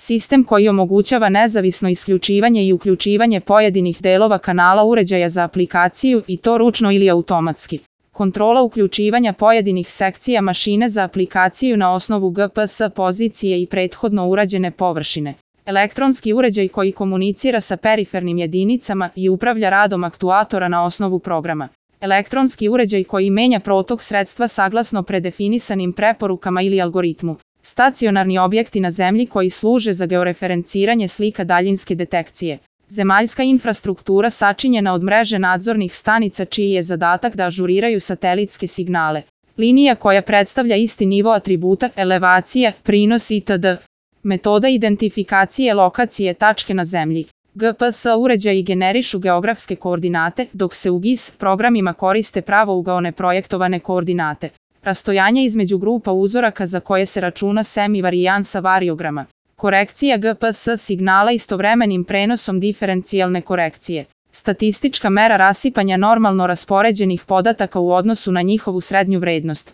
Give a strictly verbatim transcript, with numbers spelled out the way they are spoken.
Sistem koji omogućava nezavisno isključivanje i uključivanje pojedinih delova kanala uređaja za aplikaciju i to ručno ili automatski. Kontrola uključivanja pojedinih sekcija mašine za aplikaciju na osnovu G P S pozicije i prethodno urađene površine. Elektronski uređaj koji komunicira sa perifernim jedinicama i upravlja radom aktuatora na osnovu programa. Elektronski uređaj koji menja protok sredstva saglasno predefinisanim preporukama ili algoritmu. Stacionarni objekti na zemlji koji služe za georeferenciranje slika daljinske detekcije. Zemaljska infrastruktura sačinjena od mreže nadzornih stanica čiji je zadatak da ažuriraju satelitske signale. Linija koja predstavlja isti nivo atributa, elevacija, prinos itd. Metoda identifikacije lokacije tačke na zemlji. G P S uređaji generišu geografske koordinate, dok se u G I S programima koriste pravougaone projektovane koordinate. Rastojanje između grupa uzoraka za koje se računa semivarijansa variograma. Korekcija G P S signala istovremenim prenosom diferencijalne korekcije. Statistička mera rasipanja normalno raspoređenih podataka u odnosu na njihovu srednju vrednost.